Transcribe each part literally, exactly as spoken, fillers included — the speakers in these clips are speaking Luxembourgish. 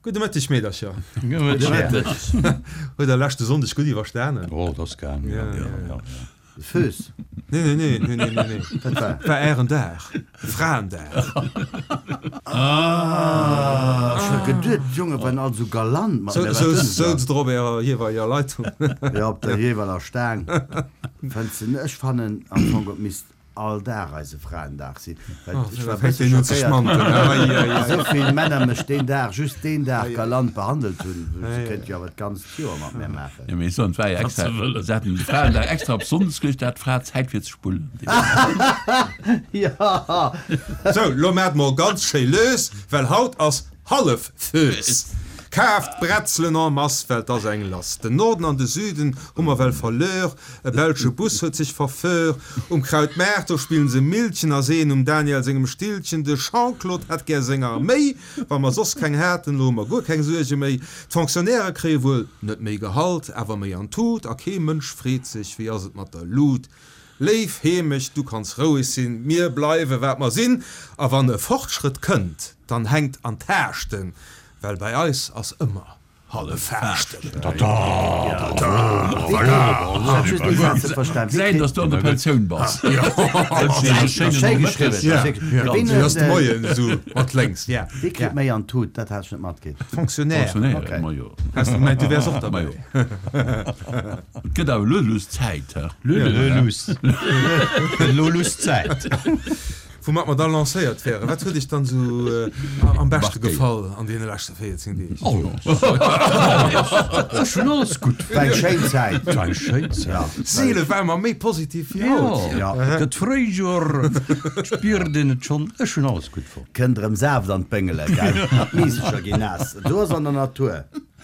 Gudde Mëtteg, Meedercher. Gudde Mëtteg. Huet der leschte Sonndeg gutt iwwerstanen? Oh, dat ass gaang. Ja, ja, ja. Fööss. Nee, nee, nee, nee, nee, nee, nee. Wat war? War ären Dag. Fraendag. Ah, ech hu geduet, d'Jonge waren all sou galant mat mir. Sou, souz der op ärer jeeweileger Leitung. Ja, op der jeeweiler Staang. Fënns de net? Ech fannen am Fong, et misst all Dag eise Fraendag sinn, well ech war e bësse schockéiert, esou vill Männer mech deen Dag, just deen Dag galant behandelt hunn. Se kéint jo awer d'ganzt Joer mat mär maachen. Jo, mee ech soen, et war jo extra, se haten de Fraendag extra op Sonndes geluecht, da hat d'Fra Zäit fir ze spullen. Jo. Sou, lo maacht mol ganz schéi lues, well haut ass Hallef-Fööss. Kaaft Bretzelen en masse, well 't ass eng lass. Den Norden an de Süden hu mer well verlör, e belsche Bus huet sech verför. Um Krautmaart, do spillen se Millchen a seeën um Daniel sengem Stillchen, de Jean-Claude hätt gär seng Arméi. Wa mer soss keng haten, lo hu mer guer keng Suerge méi. D'Fonctionnairë kréie wuel net méi Gehalt, awer méi an d'Tut, a kee Mënsch freet sech, wéi ass et mat der Lut. Léif Heemecht, du kanns roueg sinn, mir bleiwe wat mer sinn, a wann e Fortschrëtt kënnt, dann hänkt an d'Haaschten, well bei eis ass ëmmer hallef Faaschten. Säin, dass du an der Pensioun bass. Ass de Moien esou mat lénks. Wie kritt méi an d'Tut? Dat hat ech net matkritt. Fonctionnaire. Fonctionnaire, majo. Has du gemengt, du wäers och derbäi? Majo. Et gëtt awer elo lues Zäit, he? Elo lues. Elo lues Zäit. Woumat mer da lancéiert wären. Wat huet Iech dann esou am beschte gefall an deene leschte véierzéng Deeg? Ech hunn alles gutt War eng schéin Zäit. War eng schéin Zäit. Seele ware mer méi positiv wéi haut. Jo, et gëtt Fréijoer, et spiert een et schonn. Ech hunn alles gutt fonnt. Kënnt erëm Saaft an d'Béngele, gell? D'Miisercher ginn naass. Do ass an der Natur.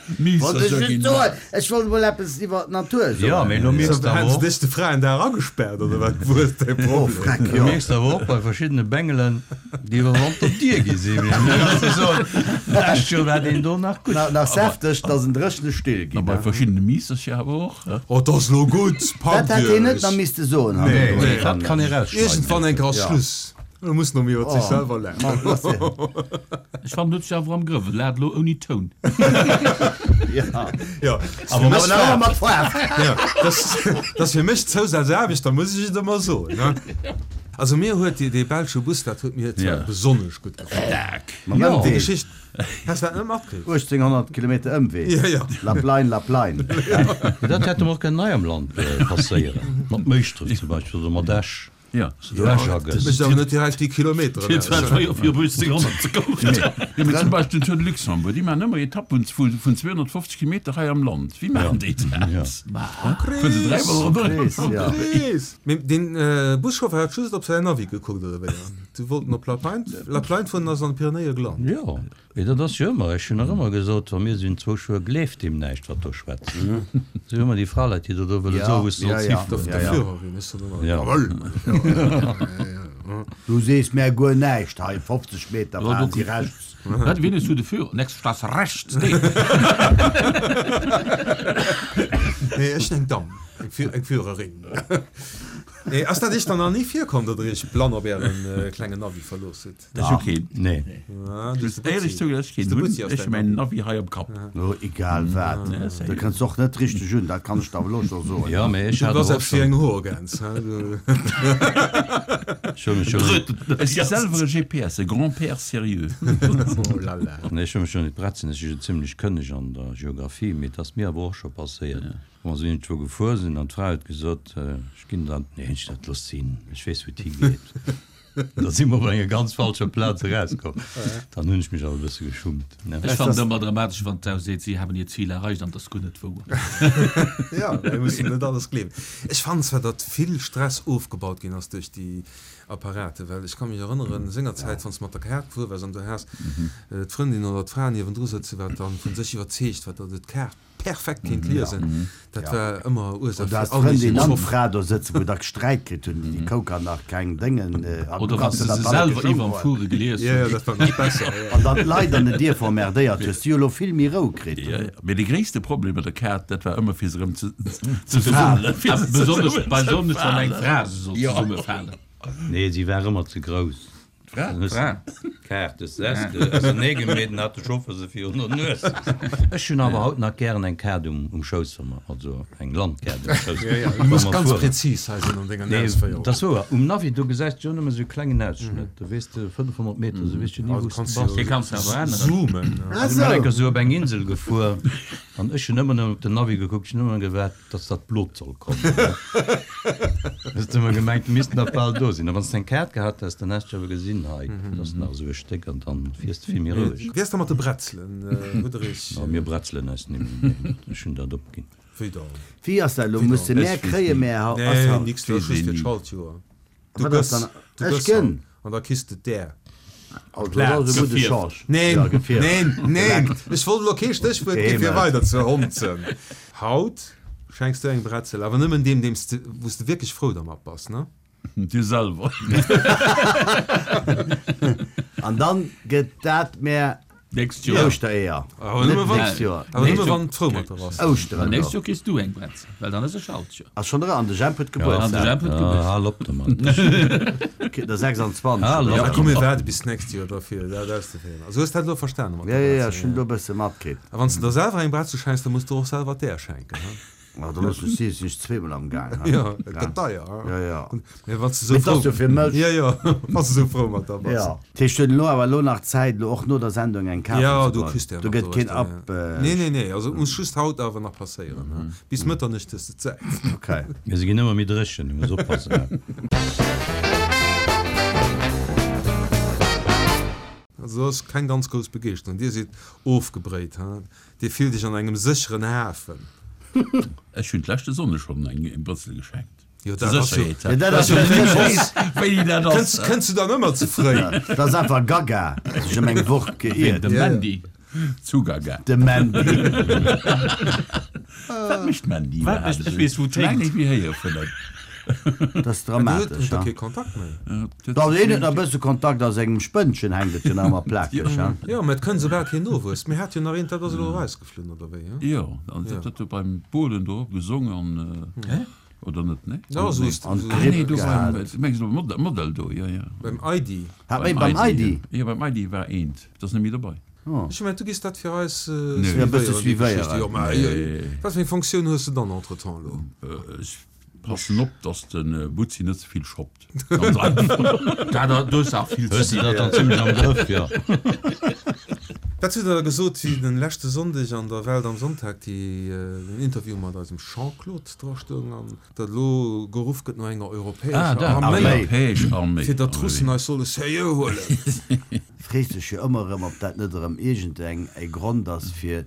Wollt ech just soen, ech wollt emol eppes iwwer d'Natur soen. Jo, mee elo mierks de Hätten awer se och. dech de Fraendag agespaart oder wat? Wou ass däi Oh, Problem? freck, Du jo. mierks awer och bei verschiddene Bengelen, déi iwwer Wanter dier gi sinn. Mee elo muss ech soen, d'lescht Joer war deen do nach gutt. Nach, nach säfteg, dass en dréchene Still A ginn, bei ne? verschiddene Miissercher awer och, he? Oh, 't ass lo gutt, Dat packt hätt hien net iech. nach misste soen, Nee, hannendrun. nee. Dat kann ee rausschneiden. Iergendwann eng Kéier ass Ja. Schluss. Elo muss en iwwer sech selwer laachen. Ech fannen, huet sech awer am Grëff. Et laat elo ouni Toun. Jo, Awer nach ëmmer mat Faarf. Jo, dat ass fir mech Zousaz-Aarbecht, da muss ech et ëmmer soen, ne? Also mir huet dee belsche Bus, dat huet mir zwar besonnesch gutt gefall. Mam Déi Ëmwee. Geschicht, has dat net matkritt? uechtzénghonnert Kilometer Ëmwee. Jo, jo. La Plaine, La Plaine. Dat hätt em och kënnen hei am Land passéieren. Mat Méischdref zum Beispill oder mat Esch. Ja. Dat mécht awer net direkt déi Kilometeren Fir zwar aus. schwéier fir op uechtzénghonnert ze kommen. Jo, mee zum Beispill den Tour de Luxembourg, déi maachen ëmmer Etappen vu vun zweehonnertfofzeg Kilometer hei am Land. Wéi maachen déi dat? Fueren se dräimol ronderëm? Chris, ja. Chris. Mee deen Buschauffer hat just op säin Navi gekuckt, oder wéi? Du wollt en op La Plaine, La Plaine fueren an ass an de Pyrenäe gelant. Jo, mee dat ass jo ëmmer, ech hunn nach ëmmer gesot, wa mir sinn zwou Schuer, gleeft deem näischt, wat do schwätzt. Sou ëmmer déi Fraleit, déi der do wëlle Ja, soen, wou s de ja, solls ja. hifueren. Der Ja, ja. Führerin ist dann ëmmer, Ja. Jawohl! Du sees mär guer näischt hei, fofzeg Meter fahren si rechts. Wat, wien hues du de Führer? Nächste Straße rechts, nee. Nee, ech sinn eng Damm, eng Fü eng Führerin. Nee, ass dat iech dann nach ni virkomm, datt der iech blann op ären klengen Navi verlooss hutt? Ech hu keen. Nee. Ah, Ech du muss éierlech zouginn, dass ech keen De hunn. Butzi ass Ech hu däin mäin Navi hei am Kapp. Oh, egal wat. Du kënns och net richteg un, dat kann ech der elo scho soen. Jo, mee ech Du hat bass awer och eppes wéi schonn. eng Hoergäns, he? Du. Ech hu mech jo. Ech si selwer e G P S, e Grand-père sérieux. Oh la la. Nee, ech hu mech jo net bretzen, ech si jo zimlech kënneg an der Geographie, mee et ass mir awer och scho passéiert, wou mer esou iergendwou gefuer sinn an d'Fra huet gesot, ech ginn dann, nee, ech dat looss sinn, ech weess wou et higeet. Da si mer op enger ganz falscher Plaz erauskomm. Dann hunn ech mech awer e bësse geschummt. Ech fannen et ëmmer dramatesch, wann d'Sau seet, Sie haben Ihr Ziel erreicht an et ass guer net wouer. Ja, mir mussen net alles gleewen. Ech fannen zwar, datt vill Stress ofgebaut ginn ass duerch déi Apparaten, well ech ka mech erënneren, sengerzäit, wann s de mat der Kaart gefuer waars an du has d'Frëndin oder d'Fra niewendru sëtzen, wat dann vun sech iwwerzeegt war, datt et d'Kaart perfekt kéint liesen, dat war ëmmer Ursaach Oder fir has all d'Frëndin méiglechen an Zoff. d'Fra do sëtzen, wou der Sträit kritt hunn, déi Kouker nach keng Déngen, an du Oder wann kanns se se se dat alle selwer geschonk iwwerm huelen. Fuere gelies Ja, ja, hunn. dat war nach besser, ja. An dann d'Leit an den Dierfer emmerdéiert hues, déi hu lo vill méi Rou kritt. Ja, ja. Mee de gréisste Problem mat der Kaart, dat war ëmmer fir se erëm ze ze falen. fale. Fir se Besonnesch zesummen bei ze besonnesch wann eng falen. Fra se soll Ja. zesummefalen. Nee, si war ëmmer ze grouss. D'Fra? Dann hues Fra. D'Kaart des Seste auserneegemeet an hat de Chauffer se virun der Nues. Ech hunn awer haut nach gären eng Kaart um Schouss, wa mer, also eng Landkaart um Schouss, Jo, jo, du wa muss mer ganz fueren. präzis hei sinn an dengen Nee, Ausféierungen. dat ass wouer. Um Navi, do gesäis de jo nëmme sou e klengen Ausschnëtt, do weess de fënnefhonnert Meter, sou weess jo ni, Also wou s de kanns bass. Dee du kanns de awer änneren. zoomen. Ah Ech sinn eng sou. Kéier sou op eng Insel gefuer an ech hunn ëmmer nëmmen op den Navi gekuckt, ech hunn ëmmer gewaart, dass dat Blot soll kommen. Hues de ëmmer gemengt, du misst nach bal do sinn. A wann s de eng Kaart gehat häss, dann häss de awer gesinn, hei, dat ass nach esou e Stéck an dann fiers de vill méi roueg. Wéi ass da mat de Bretzelen, Huderich? No, mir bretzelen eis nimmen, nee, ech hunn dat opginn. Wéi dann? Wéi ass dat elo? Wéi Musse dann? mär Ech weess kréie ni. mär haut? Ass Nee, haut? nix, dat ass Weess just een fir ni. d'Schaltjoer. Du Wat ass gëss, dann? du Ech gëss gënn. haut an da kriss de där. Also, dat ass e gudde Gefierft. Change. Neen, Ja, gefierft. neen, neen, ech wollt elo kee Stéchwuert gi fir Geheemelt. weider ze honzen. Haut schenks du eng Bretzel, awer nëmmen deem, deem s de, wou s de wierklech frou dermat bass, ne? Dir selwer. An dann gëtt dat mär Nächst Joer. Ouschtereeër. Awer Net nëmme wann, nächst Joer. awer nëmme Nächst wann frou mat der bass. Ouschteren Nächst do. Joer kriss du eng Bretzel, well dann ass e Schaltjoer. Ass schonn era an de Jemp huet An de Gebuertsdag. Jemp huet Ah, Gebuertsdag. hal op domat. Der sechsundzwanzeg. Hal oder op. Ja, komm, mir waarde bis d'nächst Joer derfir dat auszeféieren. Also hues dat elo verstanen mat Ja, der ja, ja, Bretzel, ech hunn do e bësse matkritt. A wann s de der selwer eng Bretzel schenks, da muss du och selwer där schenken, he? Ma da looss ech si, sinn ech zweemol am Gaang, he? Ja, et gëtt deier, he? Ja, ja. Mee wann s de sou Mee et frou ass jo fir mech. Ja, ja, wann s de sou frou mat der bass. Ja. Dat heescht, huet elo awer elo nach Zäit, elo och no der Sendung eng kafen Ja, ze du goen? kriss der Do nach gëtt keen doruechter, ab. ja. Nee, nee, nee, also et muss just haut awer nach passéieren, he? Bis Mëtternuecht hues de Zäit. Okay. Mee se ginn ëmmer méi dréchen, du muss oppassen, he? Also do ass keng ganz grouss Begeeschterung. Dir sidd ofgebréit, he? Dir fillt iech an engem sécheren Hafen. Ech hunn d'leschte Sonne schonn eng Brëtzel geschenkt. Jo, Zur dat ass jo. Sécherheet. Ja, dat ass jo Weess, wéini dat Kënns, ass. kënns du dann ëmmer ze fréi? Dat ass einfach Gaga, sech ëm eng Woch Ween, geiert. de Ja, ja. Mandy? Zu Gaga. De Mandy. Wat mécht d'Mandy Wat iwwerhaapt mécht- ech esou? weess, wou Ech laang d'hänkt. net méi héiere vun der. Dat ass Du huet dramatesch, da ha? kee Kontakt méi. Dach, deen huet nach e bësse Kontakt, a sengem Spënnchen hänkt et jo nach ëmmer plakeg, ha? Jo, mä et kënnt soubal keen Nowuess. Mir hat jo nach eent, dat ass elo erausgeflunn, oder wéi, he? Jo, an Ja. dat huet beim Bohlen do gesongen an, oder net, nee? Ja, sou ist An sou- Ah, nee, do Gripp beim, mengs du beim Model do, jo, jo. beim I D. Hat méi beim I D? Jo, beim I D war eent, dat ass net méi dobei. Oh. Ech mengen, du giss dat fir eis Nee. Ja, e bësse suivéieren, déi Geschichte. suivéieren. Jo, mä Nee. wat fir eng Funktioun hues de dann entretemps elo? Ech passen op, dass de Butzi net ze vill shoppt. Ganz einfach. Dat do ass auch vill Hues ze de dat dann zimmlech am Grëff, jo. Wat hutt Der da gesot, wéi den leschte Sonndeg an der Welt am Sonntag déi, den Interview mat eisem Jean-Claude dra stoung an datt elo geruff gëtt no enger Ah, europäescher dat. Arméi, Europäesch Arméi. fir datt d'Russen eis solle seriö huelen? Frees dech jo ëmmer erëm, ob dat net erëm iergendeng e Grond ass, fir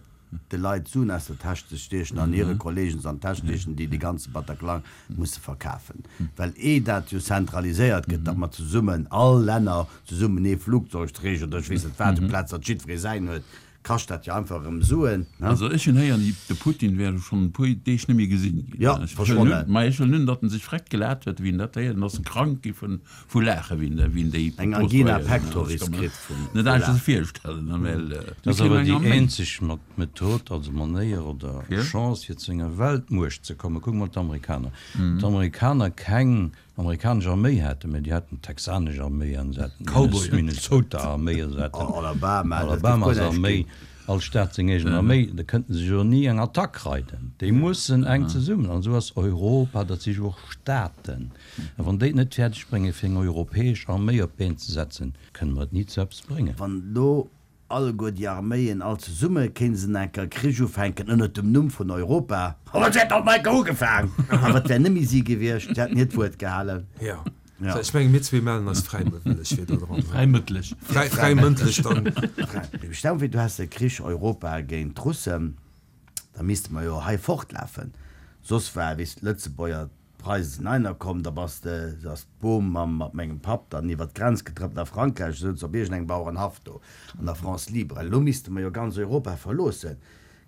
de Leit Suen aus der Täsch ze stiechen an hire Kollegen se an d'Täsch stiechen, déi de ganze Bataclan musse verkafen. Well eh dat jo zentraliséiert gëtt, datt mer zesummen, all Länner zesummen ee Flugzeugträger oder ech weess net wat, amplaz datt jiddweree säin huet, kascht dat jo einfach erëm Suen, ne? Also ech hunn héieren, de Putin wär schonn e puer Deeg net méi gesinn ginn. Ja, Ech verschwonnen. wëll nun, ma ech wëll nun, datt en sech freck gelat huet, wéi en dat héiert, en ass en krank gi vun, vu Laache, wéi en, wéi en déi Eng Propos Angina do héieren. pectoris Ech kann mer kritt vum net aneschters Laachen. virstellen, ne, well, Dat mir ass awer kréien eng déi Arméi. eenzeg mat Method, also Manéier oder Fir? Chance, fir zu enger Weltmuecht ze kommen. Kuck mol d'Amerikaner. D'Amerikaner keng amerikanesch Arméi haten, mä déi haten d'texanesch Arméi an se haten Cowboyen. Minnesota-Arméi an se haten Alabama, dat gëtt guer Alabamas näischt Arméi, ginn. all Staat seng eegen Arméi, da kënnten se jo ni eng Attack reiden. Déi mussen enk zesummen. An esou ass Europa, dat si jo och Staaten. A wann déi et net fäerdeg bréngen, fir eng europäesch Arméi op d'Been ze setzen, kënne mer et ni zu eppes bréngen. Wann elo alleguer déi Arméien all zesumme kéinten enker Krich ufänken ënnert dem Numm vun Europa, oh, se hätten alt enker ugefaang! Awer et wär nëmme si gewiescht, se hätten hiert Wuert gehalen. Ja. Ja. So, ech menge mir zwee mellen eis fräiwëlleg fir do dran. Fräimëttlech. Fräi, fräimëndlech dann. Stell dir vir, du häss e Krich Europa géint d'Russen, da misste mer jo hei fortlafen. Soss war, weess, d'Lëtzebuerger, d'Preise sinn einer komm, da bass de, da ass d'Bom mam, mat mengem Papp dann iwwer d'Grenz getrëppt a Frankräich, souz op iergendengem Bauerenhaff do an der France libre. Elo misste mer jo ganz Europa verloossen.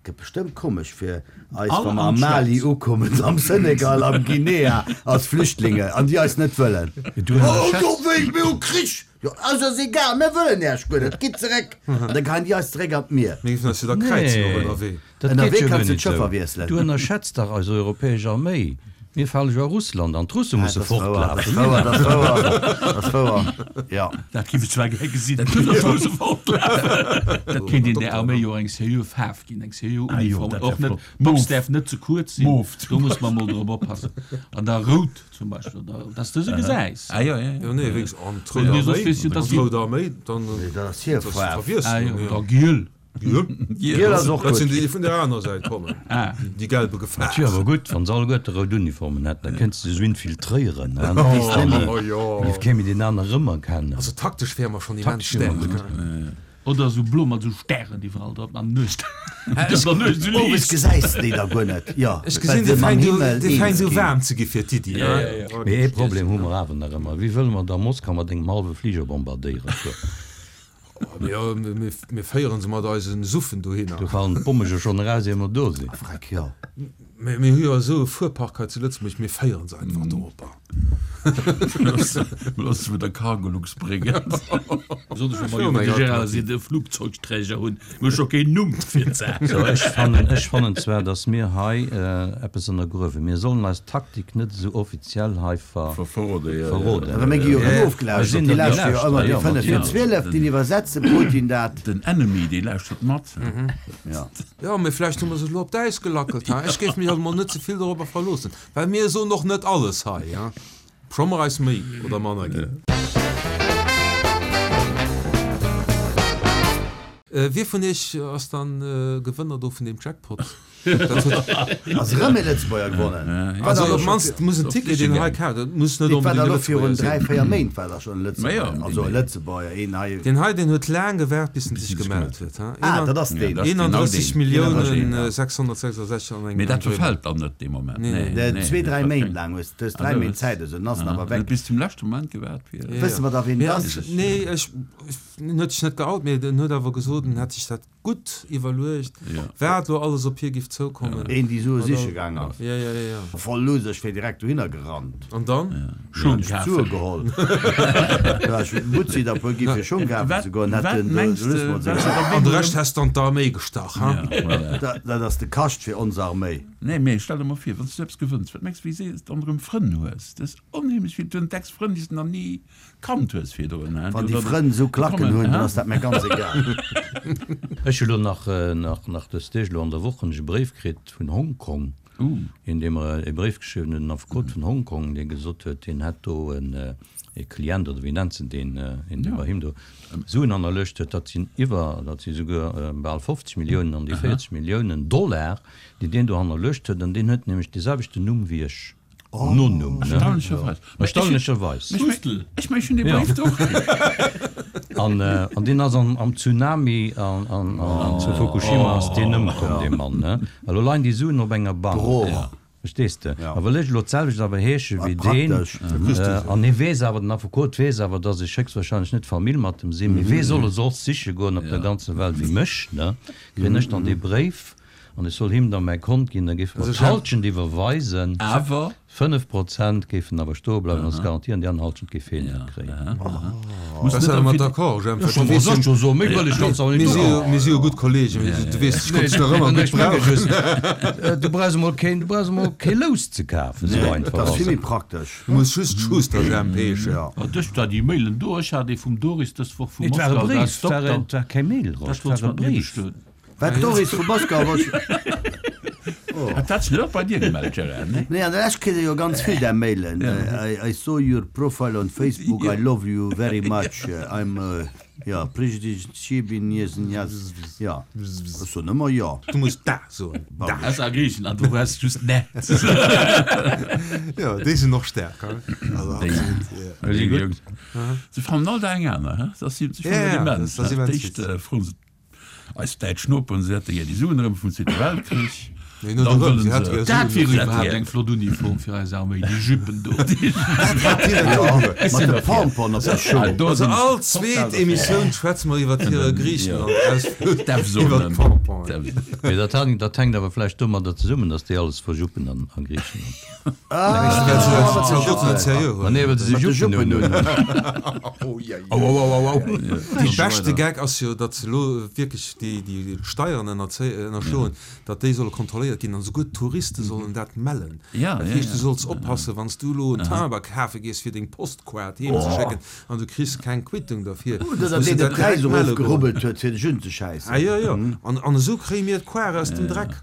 Gëtt bestëmmt komesch fir eis, All wa mer an am Mali d'Schwäiz. ukommen, am Senegal, am Guinea als Flüchtlinge an déi eis net wëllen. Du Oh, ënnerschätz. do wéi, mir hu Krich! Jo, ass eis egal, mir wëllen Iech guer net, gitt zeréck! An da geheien déi eis zeréck an d'Mier. Mir géifen eis jo da kräizen och Nee, ënnerwee. dat Ënnerwee geet jo kanns guer du net d'Schëffer esou. wiesselen. Du ënnerschätz dach eis europäesch Arméi. Mir fale jo a Russland an d'Russe musse Dat ass wouer, dat fortlafen. ass wouer, dat ass wouer, dat ass wouer, jo. Dat géif ech zwar gär gesinn. Dat kéint een der Arméi jo eng seriö Faarf ginn, eng seriö Ah jo, Uniform. dat Och wär net, flott. d'Box Mauve. däerf net ze kuerz sinn, Mauve. do muss mer mol drop oppassen. An da rout zum Beispill, oder dass de se gesäis. Ah jo, jo, jo. Jo, nee, wéinst an d'Rout Nee, soss Arméi, weess jo, dass an d'Rout Arméi, dann Nee, dat ass hir dat ass Faarf. Ah Verwiesslung, jo, jo. da giel. Giel. Giel ass och Dat sinn gutt. déi, déi vun der aner Säit kommen, Ah. déi gelbe Gefahr. Dat wier awer gutt, wann se alleguerte rout Uniformen hätten, da kéints de se esou infiltréieren, hein? Oh, jo. Giff kee méi deen aner erëmerkennen. Also taktesch wäre mer schonn immens Taktesch wier mer staark. gutt. Oder esou blo mat esou Stären iwwerall drop an Nuecht. Dass an Nuecht esou Owes liicht. gesäis de déi da guer net, jo, Ech well gesinn, se dir mam fänkt u, Himmel dir eens fänkt u ginn. waarm ze gi fir d'Iddi, Ja, hein? ja, ja. Mee ee Problem hu mer awer nach ëmmer, Wéi wëlle mer da Moskau mat engem hallwe Fliger bombardéieren? Jo, mir, mir féieren se mat eisen Suffen dohinner. Do falen d'Bomme jo schonn eraus, ier mer do sinn. Freck, jo. Mir, mir hu jo esou e Fuerpark hei zu Lëtzebuerg, mir féieren se einfach doropper. Looss se mit der Cargolux bréngen. Besonnesch wa mer jo, wéi de Gérard seet, e Flugzeugträger hunn. Mir hu scho keen Numm fir d'Saach. So, ech fannen, ech fannen zwar, datt mir hei eppes ënnergruewen. Mir sollen eis Taktik net esou offiziell hei ver, Verrode, ja, verroden. Awer mir gi jo erëm Mir ofgelauschtert. sinn Déi der lauschteren jo ëmmer gelauschtert, déi jo, fënnef vir natierlech. zwielef, déi iwwersetze Putin dat. Den Enemy, dee lauschtert mat. Ja. Ja, mee vläicht hu mer se elo op d'Äis gelackelt, ha? Ech géif mech also mol net ze vill dorobber verloossen, well mir soen och net alles hei, ja? Scho mer eis méi oder manner ginn. Wie vun iech ass dann Gewënner do vun deem Jackpot? Dat huet Ass erëm ee Lëtzebuerger gewonnen. Also op d'mannst muss en Ticket, deen hei kaaft, dat muss net Dat war onbedéngt da e lo virun Lëtzebuerger dräi, sinn. véier Méint war da schonn e Ma jo, Lëtzebuerger. Also e Lëtzebuerger, een hei. Deen hei, deen huet laang gewaart, bis en sech gemellt huet, ha? Ah, dat ass deen. Ja, dat ass genau eenanddrësseg deen. Milliounen Ja. sechshonnertsechsundsechzeg an Mee engem dat Drëmmer. verfält dann net dee Moment. Nee, nee. Nee, nee, Zwee, dräi dat Méint verfänkt. laang hues du hues dräi Also, Méint Zäit, esou, dann ass en awer Huet weg. bis zum leschte Moment gewaart fir. Ja, Wësse ja. mer da, wien Mee dat ass, ass? nee, ech, ech, en huet sech net geout, mee en huet awer gesot, en hätt sech dat gutt iwwerluecht, Ja. wat elo alles op hie giff zoukommen. Een, déi Sue Oder- siche gaang ass. Ja, ja, ja, ja. Voll Loser, ech wär direkt dohinner gerannt. An dann? Schung Ech kafen. Sue geholl. Ja, ech Mutzi der puer gi fir Schung kafen Wat- ze goen, hätt wat den mengs de de, Lust wat mat se sech. da An de Rescht häss dann d'Arméi gestach, ha? Ja, voilà. Dat dat ass de Kascht fir ons Arméi. Nee, mee stell der mol vir, wann s du eppes gewënns, wat mengs du, wéi séier s du dann erëm Frënn hues? Dat ass onheemlech vill. Du entdecks Frënn, déi s du nach ni kannt hues virdrun, hein? Wann Déi déi dann Frënn esou Klacken kommen, hunn, dann hein? ass dat mir ganz egal. Ech hu lo nach, nach, nach dës Deeg elo an der Woch hunn ech e Bréif kritt vun Hongkong, Uh. in deem mer e Bréif geschriwwen huet, en Affekot vun Hongkong, dee gesot huet, deen hätt do en, e Klient, oder wéi nennt se deen, een, dee Ja. bei him do Suen hannerluecht huet, dat sinn iwwer, dat si souguer bal fofzeg Milliounen, an déi véierzeg Milliounen Dollar, déi deen do hannerluecht huet, an deen huet nämlech dee selwechten Numm wéi ech. Nonumm, ne? Erstaunlecherweis. Erstaunlecherweis. Ech Hustel. Ech meng, ech hunn dee Ja. Bréif do kritt. An, äh, an deen ass am, am Tsunami an, an, an zu Fukushima ass deen ëmkomm, dee Mann, ne? A lo leien déi Suen op enger Bank. Brooch. Ja. Verstees de? Ja. A well ech elo d'selwecht awer heesche Wat wéi deen, praktesch. äh, an hie weess awer, den Affekot weess awer, dass ech héchstwahrscheinlech net Famill mat em sinn, mee wee soll e soss siche goen op der ganzer Welt wéi mech, ne? Kréien ech dann dee Bréif an ech soll him dann mäi Kont ginn, da géif mer Also ech d'Halschent iwwerweisen. Awer Fënnef Prozent géifen awer stoe bleiwen als Garantie an déi aner Halschent géif hien net kréien. Muss Das net ass am mat Fid- d'accord, Jemp. Ja, Du weess schon, schon so, méi wëll ech ganz awer Mir nicht si jo, mir si jo gutt Kollegen, du weess, ech konnt dech nach ëmmer gutt brauchen. Du brauchs emol keen, du brauchs emol kee Lous ze kafen, esou Nee, einfach dat ass ass vill méi et. praktesch. Du muss just Schuster Jemp heeschen. Ja. Ah, dech da déi Mailen do, ech hat ee vum Doris dës Woch vu Nee, et war e Moskau, da Bréif, ass et war Dokter. e, et war keng Mail, Rosch, Dat et wollt war ech e mat mir Bréif. bestoen. Wat Doris vu Moskau wollt Hat dat sech net och bei dir gemellt, Gérard, ne? Nee, an der Lescht kritt ee jo ganz vill där Mailen. I, I saw your profile on Facebook, I love you very much. I'm, uh, ja, Ja, ech soen ëmmer ja. Du muss da soen. Da. Das a Griechenland, du hues just ne. Ja, déi sinn noch stärker. Also, absolut, ja. Déi gutt. Se fannen all Dag eng aner, hä? Dat ass Ja, ja, immens. dat ass immens D'éischt froen se eis däitsch Noperen, se hätte gär déi Suen erëm vum Zweete Weltkrich. Nee, net Dann erëm, wëllen se hätte se- gär Dat Suen. wier Se hätte iwwerhaapt gär- eng flott Uniform fir eis Arméi, déi Juppen do. Mat de Pompon op der Schung. Do Also sinn all zweet Emissioun schwätze mer iwwer hire Griechenland-Ausflug. D'Evzonen. Iwwer d'Pompon. D'Evzonen. Mee dat hänkt, dat hänkt awer vläicht domadder zesummen, dass déi alles verjuppen an, a Griechenland. Ah, Well se dat Zaldoten net seriö Ma nee, huelen. well se Mat de Juppen Juppen hunn. hunn. Au, au, au, au, au. Déi beschte Gag ass jo, datt se elo wierklech déi, déi Steieren ënnerzé-, ënnerschloen, datt déi solle kontrolléiert kontrolléiert ginn an esouguer d'Touriste sollen dat mellen. Ja, Dat ja, heescht, du ja. solls oppassen, wann s du elo en Timber kafe gees, fir deng Postkaart heem ze schécken an du kriss keng Quittung derfir, Oder muss deen de de dat Präis direkt melle goen. erofgerubbelt huet, fir dech unzeschäissen. Ah jo, jo. An, an esou kréie mir d'Koart aus dem Dreck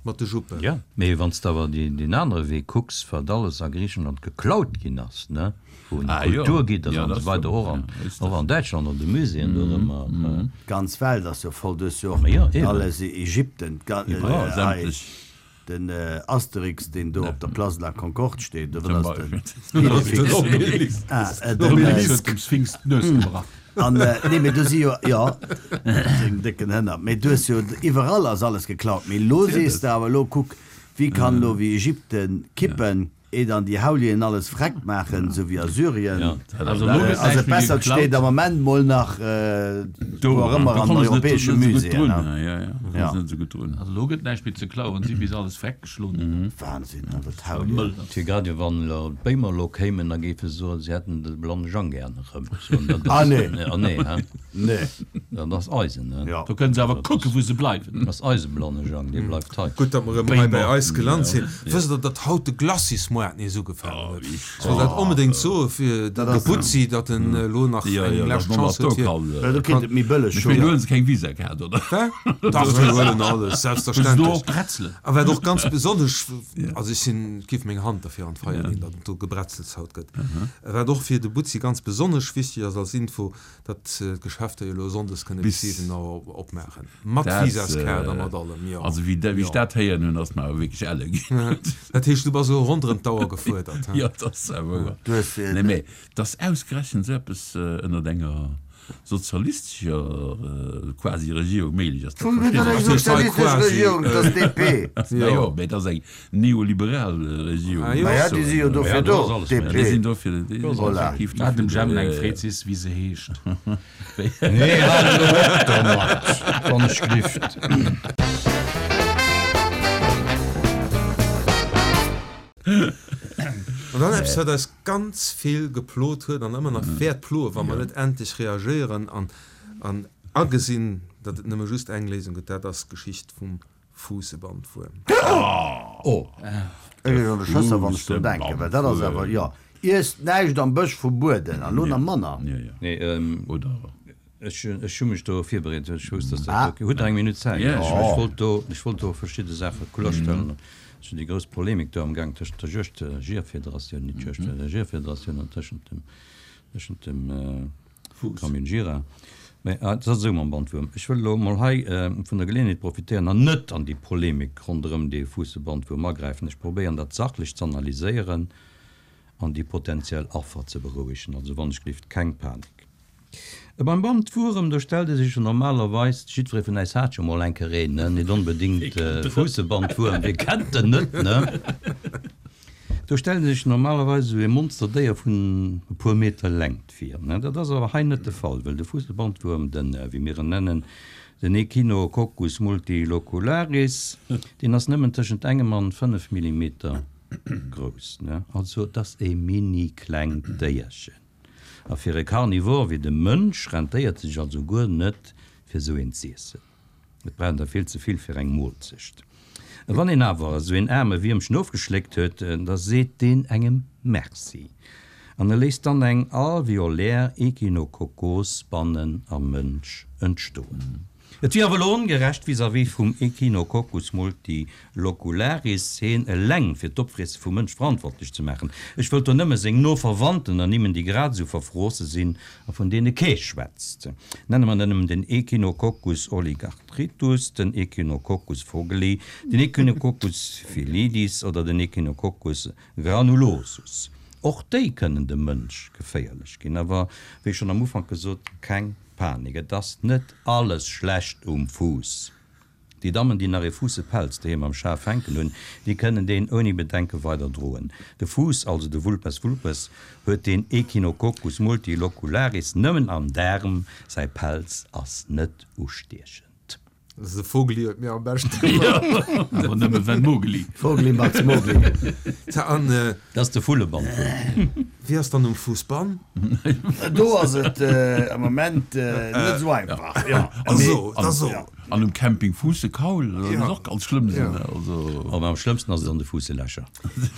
mat de Juppen. Ja, mee wann s de awer deen anere Wee kucks, wat alles a Griichenland geklaut ginn ass, ne, vun Ah jo, Kulturgidder ja, an dat esou weider, stimmt, och an, ja, ist och das. an Däitschland an de Muséeën do ëmmer. D'ganz Welt ass jo voll, du hues jo och Ma jo, eben. alles, Ägypten, d'ga, Iwwerall, hei, sämtlech. den Asterix, deen do op der Place de la Concorde steet, do Zum ass den Beispill. Idefix. Den Obelix. Ah, äh, Den den, Obelix huet dem Sphinx d'Nues gebrach. An, nee, mee do si jo, jo, seng décken Hënner, mee du hues jo, iwwerall ass alles geklaut. Mee elo sees de awer, elo kuck, wéi kann elo wéi Ägypten kippen, eh dann déi Haulien alles freck maachen, sou wéi a Syrien. Ja. Also elo gëtt Also näischt méi bessert steet geklaut. am Moment mol nach Do, wou och ëmmer do an komme se net, europäesche net esou gutt Muséeën. drun. Ne? Ja, ja, do komme Ja. se net esou gutt drun. Also elo gëtt näischt méi ze klauen, si bis alles freck geschloen hunn. Wahnsinn, awer d'Haulien. Mëll. Fir grad jo wann elo d'Béimer elo kéimen, da géife se soen, se hätten de Blanne Jang gären erëm. Soen, dat Ah ass, nee. ah nee, hä? Nee. Dat ass eisen, ne? Ja. Do kënnen se awer kucken, wou se bleiwen. Dat ass eise Blanne Jang, dee bleift hei. Gutt, datt mer erëm hei bei eis gelant sinn. Wësst Der, datt haut de Glacismoart nees ugefaangen huet? Ech wollt dat onbedéngt soe fir de Butzi, datt en elo nach eng lescht Chance huet fir. Ja, do kritt et méi bëlleg Ech mengen, do huele se keng Visa-Kaart, oder? Hä? Dach, déi huelen alles, Huelen se do selbstverständlech. och Bretzelen? A wat och ganz besonnesch, also ech sinn, giff meng Hand derfir an d'Feier leeën, datt et do Gebrezels haut gëtt. Wat och fir de Butzi ganz besonnesch wichteg ass als Info, datt d'Geschäfter jo elo sonndes kënne bis Bis siwen Auer opmaachen. Mat Dat, Visaskaart a mat allem, jo. Also wéi wéi ech Jo. dat héieren hunn, ass mer awer wierklech elle ginn. Dat heescht, du bass elo ronderëm d'Auer gefuerdert, he? Jo, dat ass awer wouer. Du hues, äh, Nee, mee dass ausgerechent esou eppes ënnert enger sozialistescher quasi Regierung méiglech ass, dat Vun verstinn eng ech. sozialistesch Regierung, dat ass D P. Na jo, mee dat ass eng neoliberal Regierung. Ah jo. Ma ja, déi si jo dofir do, D P. Déi sinn dofir, déi sinn Voilà. effektiv Hat dem dofir, Jemmen eng äh, freet sis, wéi se heescht. Nee, hal elo op domat, wann ech glift. An dann eppes, wat eis ganz vill geplot huet an ëmmer nach wäert ploen, wa mer net endlech reagéieren an, an agesinn, datt et nëmme just eng Léisung gëtt, dat ass d'Geschicht vum Fuussebandwuerm. Oh. Ech kritt schon de Schësser, wann ech drun denken, well dat ass awer, jo, iesst näischt am Bësch verbueden, an elo nach manner. Ja, ja. Nee, ähm, Oder ech, ech hu mech do virbereet, ech wousst, dass dat Ah. do, hutt Der eng Minutt Zäit? Ja, Ech, ja. ech wollt do, ech wollt do verschidde Saache kloerstellen. Ass jo déi grouss Polemik do am Gaang tëschent der Juegd, Jeeërfederatioun, net Juegd, der Jeeërfederatioun an tëschent dem, tëschent dem Camion Gira. Mä et ass esou mam Bandwuerm. Ech wëll elo mol hei vun der Geleeënheet profitéieren an net an déi Polemik ronderëm dee Fuussebandwuerm agräifen. Ech probéieren dat sachlech z'analyséieren an déi potentiell Affer ze berouegen. Also wann ech gelift, keng Panik. Beim Bandwuerem, do stellt ee sech jo normalerweis, jiddweree vun äis hat jo mol eng Kéier een, ne, net onbedéngt Fuussebandwuerm, wie kennt en net, ne? Do stellt ee sech normalerweis esou ee Monsterdéier vun e puer Meter Längt vir, ne? Dat ass awer hei net de Fall, well de Fuussebandwuerm, den, wéi mir en nennen, den Echinococcus multilocularis, deen ass nëmmen tëschent engem an fënnef Millimeter grouss, ne? Also et ass e mini klengt Déierchen. A fir e Carnivore wéi de Mënsch rentéiert sech also guer net, fir esou een z'iessen. Et brauch der vill ze vill fir eng Moolzecht. Wann een awer esou een aarme Wiermchen ofgeschléckt huet, da seet deen engem Merci an e léisst dann eng alveolär Echinokokkos bannen am Mënsch entstoen. Et wier awer elo ongerecht vis-à-vis vum Echinococcus multilocularis, heen eleng fir d'Opfriesse vum Mënsch verantwortlech ze maachen. Ech wëllt do nëmme seng no Verwandten ernimmen, déi grad esou verfroosse sinn a vun deene kee schwätzt. Nenne mer nëmmen den Echinococcus oligarthritus, den Echinococcus vogeli, den Echinococcus felidis oder den Echinococcus granulosus. Och déi kënnen dem Mënsch geféierlech ginn. Awer wéi schonn am Ufank gesot, keng Panik, et ass net alles schlecht um Fuuss. Déi Dammen, déi nach ee Fuussepelz doheem am Schaf hänken hunn, déi kënnen deen ouni Bedenke weider droen. De Fuuss, also de Vulpes vulpes, huet den Echinococcus multilocularis nëmmen am Daarm, säi Pelz ass net ustiechend. De Vogeli huet mir am beschten gefall. Awer nëmme wenn Mogeli. Vogeli macht's Mogli. Tja, an Dat ass de Vullebandwuerm. Wéi ass dann um Fuussbann? Do ass et am Moment net esou einfach. Jo. Also, da so. An um Camping Fuussekaul, dat muss och ganz schlëmm sinn. Also. Awer am schlëmmsten ass et an de Fuusselächer.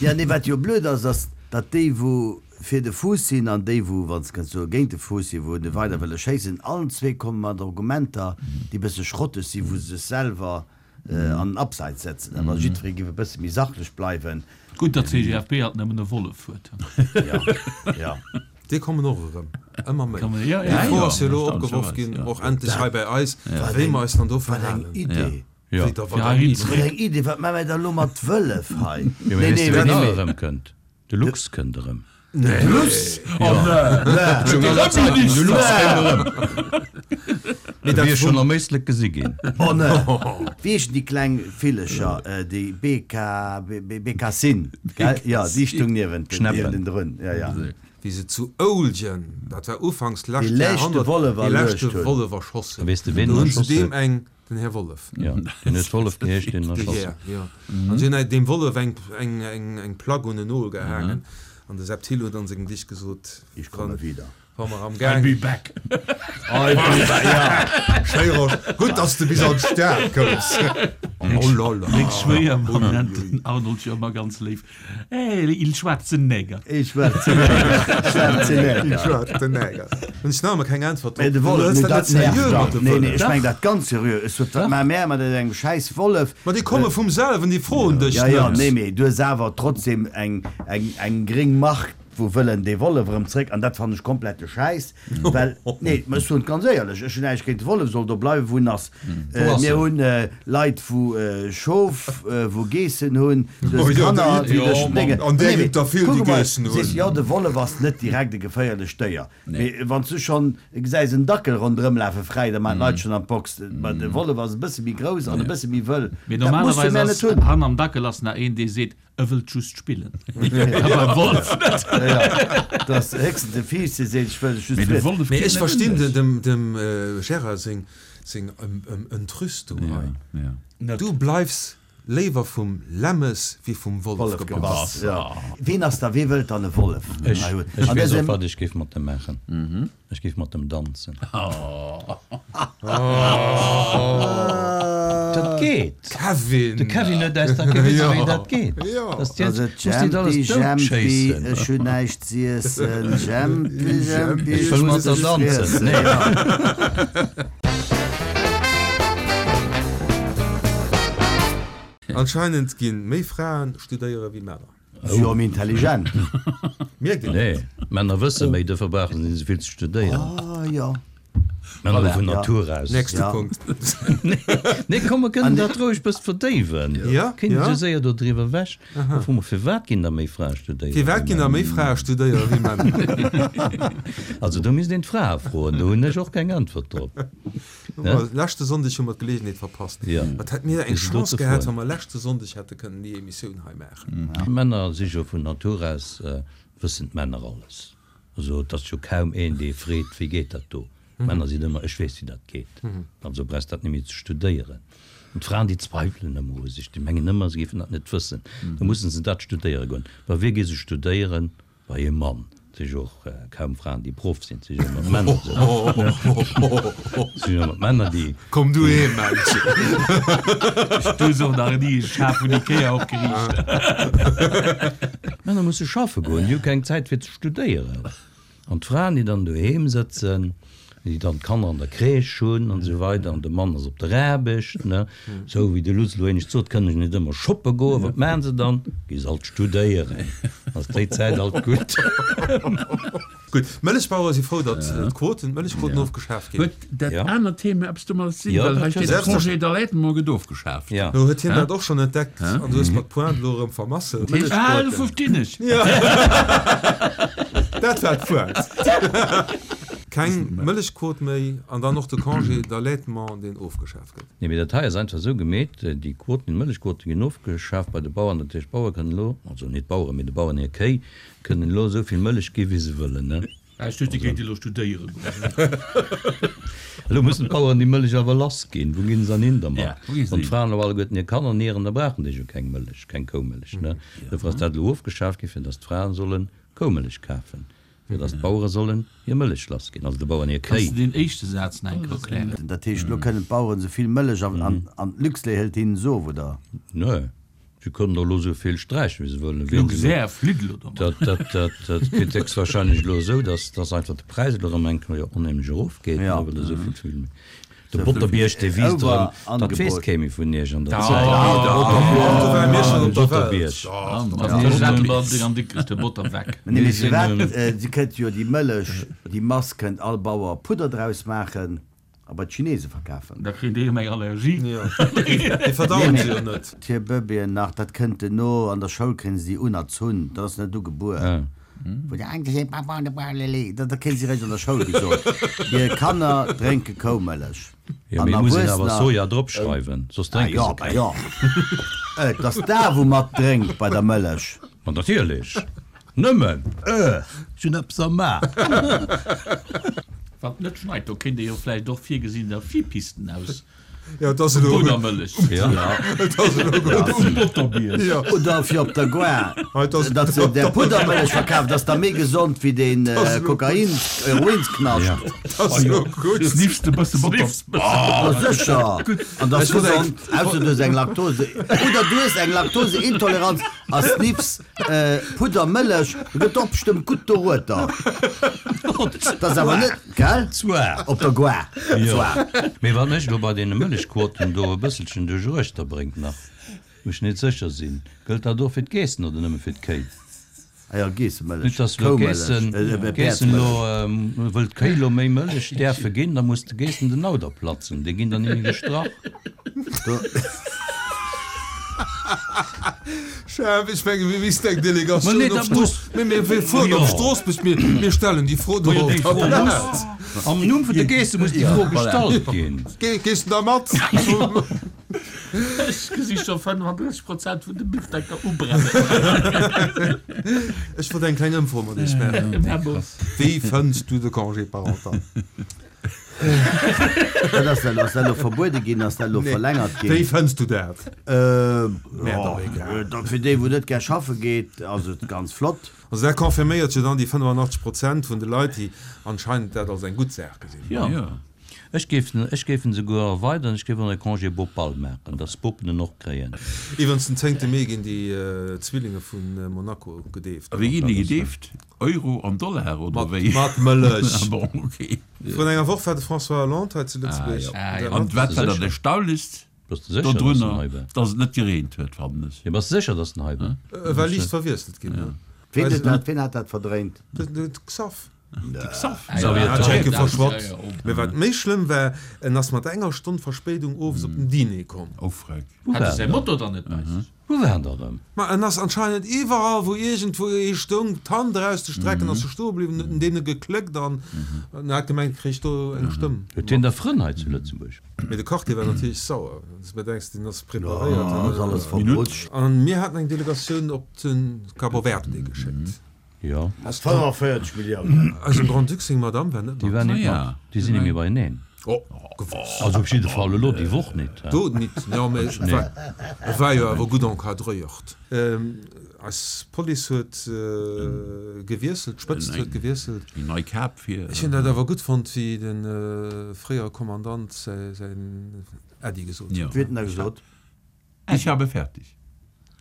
Ja, nee, wat jo blöd ass, ass, datt déi, wou fir de Fuuss sinn, an déi, wou, wann s de kënns soen, géint de Fuuss sinn, wou e weider wëlle schéissen, allen zwee komme mat Argumenter, déi e bësse schrotteg sinn, wou se sech selwer an den Abseits setzen. Awer jiddweree géif e bësse méi sachlech bleiwen. Gutt, datt d'CGFP alt nëmmen e Wollef huet. Ja, ja. Déi kommen och erëm, ëmmer méi. Kommen, ja, Déi ja. Fro Ja, ass jo elo erstaunlecherweis, opgeworf ginn, ja. och endlech hei bäi eis, Wat wéi eng, mer eis dann do wat eng verhalen. Idee! Ja. Wéi da, wat Fir eng heihin Idee! Wat eng Idee! Wat maache mir da elo mat Wëllef hei? Jo, mee Nee, weess nee, de, ween nee, nach nee. erëmkënnt? De Luchs kënnt erëm. Nee. Luchs? Oh nee! Schon aller Zeiten, de Luchs kënnt erëm. Mee Wéi dat ech schonn am Éislek gesi ginn. Oh nee! Wéi heeschen déi kleng Villecher, déi Beka, Bekassin, gell? Jo, déi stung niewent Schneppen. drun. Ja, ja. Wéi se zu Ouljen, dat war ufanks d'lescht Dee leschte Jahrhonnert, Wollef dee leschte erluecht hunn. Wollef erschoss hunn. A weess de, ween Do en hunn se erschoss deem huet? eng, den Här Wollef. Jo, deen huet Wollef geheescht, deen en De erschoss Här, huet. jo. An se hunn deem Wollef eng, eng, eng, eng Plack un en Nol gehaangen. An de Sepp Thill huet an sengem Gedicht gesot, Ich komme wieder. Wa mer am I'll Gaang. be back. I'll be back, ja. Schéi, Rosch. Gutt, dass de bis an d'Stad koums. Oh la la. Meng Schwéiermamm nennt den Arnold jo ëmmer ganz léif, Hey, il schwaarzen Neger. Il schwaarzen Neger. Schwaarzen Neger. Il schwaarzen Neger. Hunn ech nach ëmmer keng Äntwert drop. Mee de Du Wollef, hëls nee, dat dat net seriö nervt mat dach. de Nee, nee, Wëllef. ech meng dat ganz seriö. Ech sot, wat maache mär mat engem schäiss Wollef? Ma déi komme vum selwen, déi froen dech Ja, ja, net. nee, mee du hues awer trotzdem eng, eng, eng gréng Mark, wou wëllen dee Wollef erëm zréck, an dat fannen ech komplette Schäiss, well, nee, mä ech soen et ganz éierlech, ech hunn näischt géint de Wollef, soll do bleiwen, wou en ass. Wou ass Mir en? hunn Leit, wou Schof, wou Geessen hunn, du Oh hues jo, Kanner, déi, déi duerch jo, d'Dénge, an där nee, ginn mee der vill, kuck déi emol, Geessen du sees, hunn. jo, de Wollef ass net direkt e geféierlecht Déier, mee wann s du schonn gesäis en Dackel ronderëmlafe fräi, da maachen d'Leit schonn an d'Box, mä de Wollef ass e bësse méi grouss an e bësse méi wëll, Mee dat musse normalerweis mär net ass hunn. han am Dackel ass nach een, dee seet, E wëllt just spillen. Awer Wollef net. Ja, ja. Dat ass héchstens de Fiiss, dee seet, ech wëll just Mee de friessen. Wollef Mee geet ech net verstinn un dech. dem, dem Gérard seng, seng Entrüstung hei. Ja, ja. Du bleifs léiwer vum Lämmes wéi vum Wollef Wollef gebass. gebass, ja. Ween ass da, wee wëllt dann e Wollef? Ech, Hei huet. ech An weess och, dësem- wat ech géif mat dem maachen. Ech géif mat dem danzen. Dat geet. Kevin! De Kevin huet eis dat gewisen, wéi dat geet. Ja. Dass die Also muss nicht alles Jempi, Jempi, doutschéissen. ech hunn näischt z'iessen. Jempi, Jempi, Ech wëll mat der muss danzen. friessen. Nee. Ja. Anscheinend ginn méi Fraen studéiere wéi Männer. Si jo méi intelligent. Mierkt een dat? Nee, Männer wësse méi, dofir brauchen se net esou vill ze studéieren. Ah, jo. Männer Voilà. vun Ja. Natur aus. Nächste Ja. Punkt. Nee, komm, mer kënnen dat roueg bëss verdéiwen. Ja, Kéint ja. esou séier do driwwer ewech. Da froe mer, firwat ginn da méi Frae studéieren Firwat wéi ginn da Männer? méi Frae studéieren wéi Männer? Also do misst een d'Frae froen, do hunn ech och keng Äntwert drop. Ne? Leschte Sonndeg hu mer d'Geleegenheet verpasst. Ja. Wat hätt mir eng Wéi se do Chance ze gehat, froen. wa mer leschte Sonndeg hätte kënnen déi Emissioun hei maachen. Männer si jo vun Natur aus, wëssen d'Männer alles. Also et ass jo kaum een, dee freet, wéi geet dat do. D'Männer sinn ëmmer, ech weess, wéi dat geet. Also brauchs dat net méi ze studéieren. An d'Fraen, déi zweifelen ëmmer u sech, déi mengen ëmmer, se géifen dat net wëssen. Da mussen se dat studéiere goen. Bei wie gi se studéieren? Bei e Mann. Et si jo och kaum Fraen, déi Proff sinn, et si jo ëmmer d'Männer. Et si jo ëmmer d'Männer, déi. Komm du heem, Männchen! Du hues och nach ni e Schaf vun Ikea opgeriicht. D'Männer musse schaffe goen, déi hu keng Zäit fir ze studéieren. An d'Fraen, déi dann doheem sëtzen, déi dann d'Kanner an der Crèche hunn an esou weider, an de Mann ass op der Aarbecht, ne, esou wéi de Lutz elo éinescht sot, kënnen ech net ëmmer shoppe goen, wat maachen se dann? Gi se alt studéieren, ass déi Zäit alt gutt. Gutt, d'Mëllechbauere si frou, datt d'Quoten, d'Mëllechquoten ofgeschaaft ginn. Huet dat Ja. anert Thema eppes domadder ze dinn? Ja, Well hei dat steet, huet de Congé d'allaitement gëtt ofgeschaaft. Ja. Lo huet hien dat och schonn entdeckt an du hues mer d'Pointe elo erëm vermasselt. Ah, elo verstinn ech. Dat war d'Pointe. Keng Mëllechquot méi an dann och de Congé d'allaitement, deen ofgeschaaft gëtt. Nee, mee dat hei ass einfach esou gemeet, déi Quoten, déi Mëllechquote ginn ofgeschaaft bei de Bauern, dat heescht d'Bauere kënnen elo, also net d'Baueren, mee de Bauern hir Kéi kënnen elo esou vill Mëllech gi wéi se wëllen, ne? Ah, ech duecht, déi kéinte elo studéiere goen. Elo mussen d'Baueren déi Mëllech awer lass ginn. Wou ginn se dann hin dermat? Ja, wou gi se Wann hin? d'Fraen elo alleguerten hir Kanner nieren, da brauchen déi jo keng Mëllech, keng Koumëllech, ne? Dofir ass dat elo ofgeschaaft gi fir datt d'Fraen solle Koumëllech kafen. fir dass d'Bauere sollen hir Mëllech lass ginn, also de Bauern hir Kanns Kéi. de deen éischte Saz nach eng Kéier erklären? Dat heescht, elo kënnen d'Baueren esou vill Mëllech an an d'Luxlait hëlt hinnen se of, oder? Nee, se kënnen der elo esou vill sträichen, wéi se wëllen. Wien se Luxair flitt elo domat. Dat, dat, dat, dat geet héchstwahrscheinlech elo esou, dass, dass einfach de Präis elo erëm eng Kéier onheemlech erofgeet, Ja. well esou vill, vill méi. De Botterbierg, dee wiisst erëm, dat weess kee méi vun iech an der Zäit. Do ware mir schonn op der Welt. Nee, mee firwat? Si kënnt jo déi Mëllech, déi Mass kënnt all Bauer Pudder draus maachen a bei d'Chinese verkafen. Da kréien déi erëm eng Allergie. Déi verdauen se jo net. Hir Bëbeeën nach, dat kënnt duerno an der Schoul kréien se déi unerzunn, dat ass net ugebuer. Wou déi eng gesot, Papa, de Bauer, dat kréien si réischt an der Schoul gesot, Hir Kanner drénke Koumëllech. Jo, An mee muss een awer Erwuessener. Soja drop schreiwen, soss Ah drénke jo, se bah keng. jo. Et ass da wou mat drénkt bei der Mëllech. Ma natierlech. Nëmmen, ech hunn eppes am Ma. Wann et net schneit, do kéint ee jo vläicht och virgesinn, da Skipisten aus Jo, et ass elo gutt. Puddermëllech. Ja. Et ass elo gutt. Um Botterbierg. Jo. Oder fir op der Gare, Et ass- datt se der Puddermëllech verkafen, dat ass da méi gesond wéi deen ass elo Kokain, Heroinsknascht. Ja. Et ass elo gutt. Sniffs de bësse Botter. Ma sécher! An dat ass Ech wollt eng- gesond, ausser du hues eng Laktose, oder du hues eng Laktoseintoleranz a sniffs Puddermëllech, da gëtt och bestëmmt gutt dorueter. Dat ass awer net, gell? Zwar. Op der Gare, Jo. zwar. Mee wat mech elo bei deene Mëllechquoten do e bësselchen duerch bréngt nach, wou ech net sécher sinn, gëllt dat och fir d'Geessen oder nëmme fir d'Kéi? Ah jo, Geessemëllech, Net dass elo Koumëllech, Geessen, äh, Geessen elo, Päerdsmëllech. wëll d'Kéi elo méi Mëllech däerfe ginn, da muss de Geessen den Auder platzen, déi ginn dann ni méi gestrach. Do, Chef, ech menge mir missten eng Ma Delegatioun nee, op dat Strooss, muss. mee mir mir fueren op Jo. Stroossbuerg, mir mir stellen déi Fro do Ma jo, op déi der Fro muss. Plaz. Am Numm vun de Geesse muss déi Fro gestallt ginn. Ge gees du da mat? Ech gesi scho fënnefandrësseg Prozent vun de Bifdecker ubrennen. Ech wollt eng kleng Ëmfro mat iech maachen. Wéi fënns du de Congé parental? dat ass dat, ass dat elo verbuede ginn, ass dat elo Nee. verlängert Wéi ginn? fënns du dat? Äh, Mir jo, doch egal. dat fir déi, wou net gär schaffe geet, ass et ganz flott. Also dat confirméiert jo dann déi fënnefannachtzeg Prozent vun de Leit, déi anscheinend dat als eng gutt Saach gesinn hunn. Ja. Ja. Ech géif en, ech géif en souguer erweidern, ech géif en e Congé bopal maachen, dass d'Bopen en och kréien. Iwwerens den zéngte Mee ginn déi Zwillinge vu Monaco gedeeft. A wéi ginn déi gedeeft? Euro an Dollar oder Mat, wéi? mat Mëllech. Ah bon, okay. Vrun enger Woch war de François Hollande hei zu Lëtzebuerg. Ah, Ah, ja. An wat war Sécher. dat Erstaunlichst Bass de sécher, dass en dodrunner, hei war? dass et net gereent huet, fannen ech. Jo, bass de sécher, dass en hei war? E war liicht verwiesselt ginn. ne? Ween Weiß huet dat, ween hat dat verdréint? De, de Xaph. Xaph. Xavier Hat Tholl. Schenke Ja, verschwat. ja, ja. Mee wat méi schlëmm war, en ass mat enger Stonn Verspéidung owes op den Diner komm. Oh, freck. Wou Hat war e säi en Moto dann net bei sech? Wou war en da rëm? Ma en ass anscheinend iwwerall, wou iergendwou ee stoung, d'Hand erauszestrecken, ass e stoe bliwwen, huet en deene gekléckt an en hat gemengt, e kréich do eng Stëmm. Huet hien da Frënn hei zu Lëtzebuerg? Mee de Quartier war natierlech sauer. Dass du denkst, deen ass preparéiert. Ja, ass alles verrutscht. An mir haten eng Delegatioun op de Cabo Verde geschéckt. Jo. fënnefenvéierzeg Milliounen. Eisem Grand-Duc seng Madame war net Déi mat. war net Ah, ja. mat. Déi sinn net méi beieneen. Oh, gewosst. Also op jidde Fall elo déi Woch net. Do nit. Jo, mee et war, et war jo awer gutt encadréiert. Eis Police huet gewiesselt, d'Spëtzt huet gewiesselt. Eng nei Kap fir. Ech hunn dat awer gutt fonnt, wéi de fréiere Kommandant säin Äddi gesot huet. Wéi huet en da gesot? Ich habe fertig.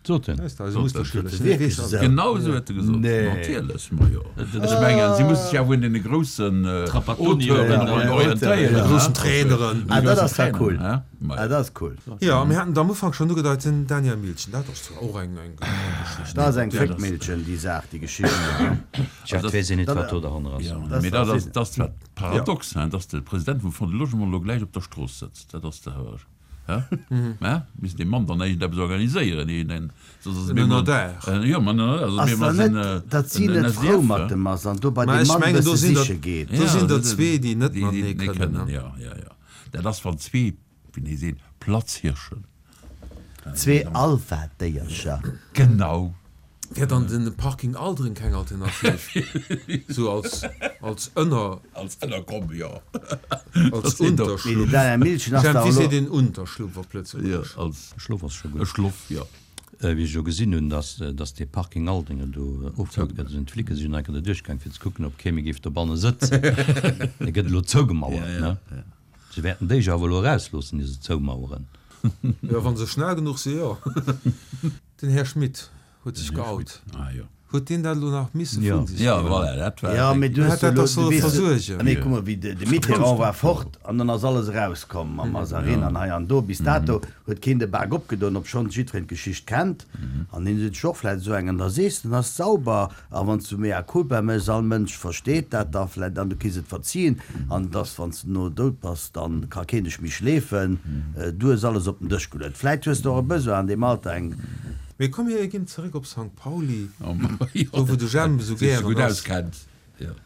Sot en. Weess de, eise Musterschüler. Sot en wierklech esou? Genau esou huet e gesot. Nee. Natierlech, ma jo. Ech mengen, si musse sech awer un deene groussen Trapattoni Auteuren ja, orientéieren. De groussen Traineren. Ah, dat ass ja cool. Hä? Ma Ah, jo. dat ass cool. Jo, mir haten et am Ufank schonn ugedeit, den Daniel Milchen, dat ass zwar och eng, eng Geschicht. Dat ass eng Féckmillchen, déi Saach, déi Geschicht. Tja, et weess een net, wat do derhanner ass. Ja, Das mee dat ass ass, dat ass zwar paradox, hein, dass de President vum Fonds du Logement elo gläich op der Strooss sëtzt. Dat ass de Hör. Hä? Mä misst dee Mann dann iergendeppes organiséieren, iergendeng, soss ass et En méi mal- Notaire. Äh, jo, ma en Notaire, soss Ass méi mal da sinn, net, äh, datt si en net S D F, frou mat hä? dem ass an do bei Ma deem ech Mann mengen, do bësse sinn der, siche geet? do Ja, sinn der dat- zwee, déi net déi, déi matenee net kënnen, kënnen, ne? ja, ja, ja. Dat ass wann zwee, wéi nee sinn, Platzhirschen. Zwee Alpha-Déiercher. Genau. Wär dann den Parking Aldrin keng Alternativ? Sou als, als Ënner, Als Ënnerkomm, jo. als sinn doch- Mee Unterschlupf. den Daniel Milchen ass Jean, da wéi elo. seet een Unterschlupf op Ja, Lëtzebuergesch? als Schluff ass scho e gutt. Schluff, jo. Wéi ech elo gesinn hunn, dass, dass dee Parking Aldringen do ofgebaut gëtt, sinn d'Flicke sinn eng Kéier do duerchgaang fir ze kucken, ob kee méi géif dobanne sëtzen. Dee gëtt elo zougemauert, ne? Se wäerten déi jo awer elo erausloossen, ier se zoumaueren. Jo, wa se schnell genuch si, jo. Den Här Schmit huet sech geout. Huet deen dat elo nach misse vun sech ginn? Ja, dat war. Ja, mee du hues Hätt dat elo, dach du solle weess, versuergen. nee, kuck mol, wéi de, de Mitterrand war fort an dann ass alles erauskomm mam Mazarin an hei an do. Bis dato huet keen de Bak opgedoen, obschonns jiddwereen d'Geschicht kennt. An hien seet sech och vläicht esou eng, an da sees de, dann ass et sauber. A wann s du mea culpa méchs, all Mënsch versteet dat da vläicht an du kriss et verzien. An et ass, wann s de no dout bass, dann ka keen dech méi schleefen. Du hues alles op den Dësch geluet. Vläicht hues de och e Besoin an deem Alter eng. Mee komm mir ginn zeréck op Sankt Pauli, do wou de Jemp esou gären ass.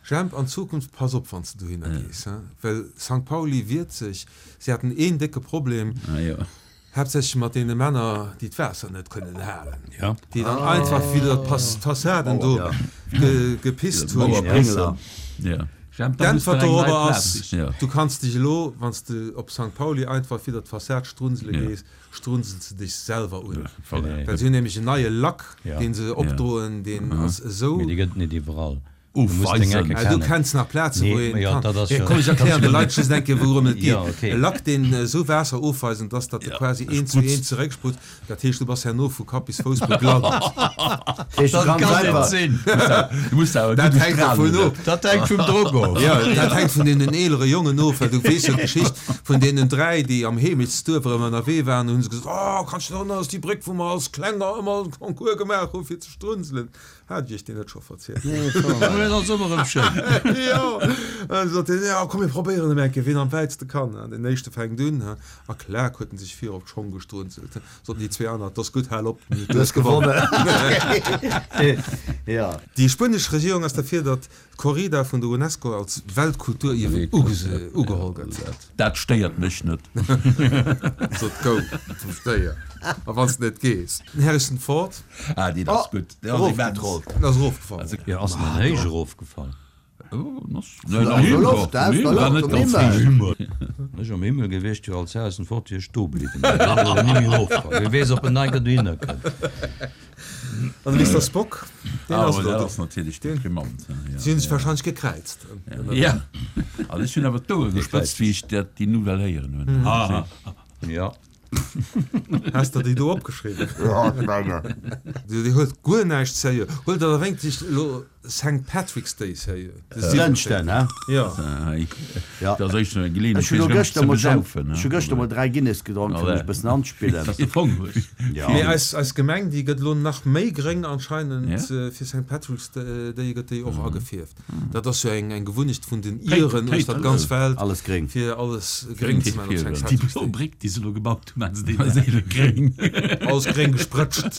Jemp, an Zukunft pass op wann s de dohinner gees, he, well Sankt Pauli wiert sech. Si haten een décke Problem, haaptsächlech mat deene Männer, déi d'Waasser net kënnen halen, déi dann einfach widder d'Fassaden do gepisst hunn. D'Äntwert dorobber ass, Du kanns dech elo, wann s de op Sankt Pauli einfach widder d'Fassad strunsele gees, strunsels de dech selwer un. Well si hunn nämlech en neie Lack, dee se opdroen, deen ass esou. Mee dee gëtt et net iwwerall. Du muss deng Ecke kennen. Du kenns nach Plazen, wou een kann. Mee komm, ech erklären de Leit just eng Kéier, wourëm et geet. E Lack, deen esou waasserofweisend ass, datt e quasi eent zu eent zerécksprutzt. Dat heescht, du bass herno vu Kapp bis Fouss begladdert. Dat kann net sinn. Du muss awer Dat hänkt dervun of. Dat hänkt vum Drock of. Jo, dat hänkt vun deenen eelere Jongen of, well du weess jo d'Geschicht vun deenen dräi, déi am Heemechtsduerf erëm ënnerwee waren. Hu se gesot, Oh, kanns du dech erënneren, ass déi Bréck, wou mer als Klenger ëmmer e Concours gemaach hu fir ze strunselen. Hat ech iech déi net scho verzielt? Dat ass ëmmer erëm schéin. Jo, an da sot hien, Jo, komm mir probéieren emol eng Kéier, wien am wäitste kann. An deen éischte fänkt un, a klak huet en sech vir op d'Schong gestrunzelt. Soten déi zwee aner, 't ass gutt, hal op, du hues gewonnen. Déi spuenesch Regierung ass derfir, datt d'Corrida vun der Unesco als Weltkulturierwen ugeholl gëtt. Dat stéiert mech net. Sot go vum Stéier, a wann s de net gees. Den Harrison Ford. Ah, deen ass gutt. Deen ass immens. Den ass erofgefall. Jo, ass en dann héich erofgefall? Ech am Himmel gewiescht wier als Harrison Ford wier ech do bliwwen. Wie weess op en nei gëtt dohinner kënnt. An de Mister Spock, deen ass elo do. Si hunn sech warscheinlech gekräizt. Jo, also ech hunn awer d'Ouere gespëtzt wéi ech dat déi Nouvelle héieren hunn. Jo. Has der déi do opgeschriwwen? Dir huelt guer näischt seriö. Huelt der da wéinstens elo Sankt Patrick's Day seriö? De Dënschden, siwwenzéngten. he? Jo. Ja. Dat ass éischter eng Geleeënheet Ech hunn fir elo sech erëm gëschter ze mol schon, besaufen, ech hu gëschter mol dräi Guinness gedronk, fir mech e bëssen anzespillen. Dass de Fong hues. Ja. Mee eis, eis Gemeng, déi gëtt elo nach méi gréng anscheinend. Ja. Fir Sankt Patrick's Day gëtt déi och agefierft. Dat ass jo eng, eng Gewunnecht vun den Iren uechter d'ganz Welt, Alles gréng. fir alles gréng ze man op Sankt Déi Patrick's blo Day. Bréck, déi se elo gebaut hunn, maachen se déi net gréng? Alles gréng gesprëtscht.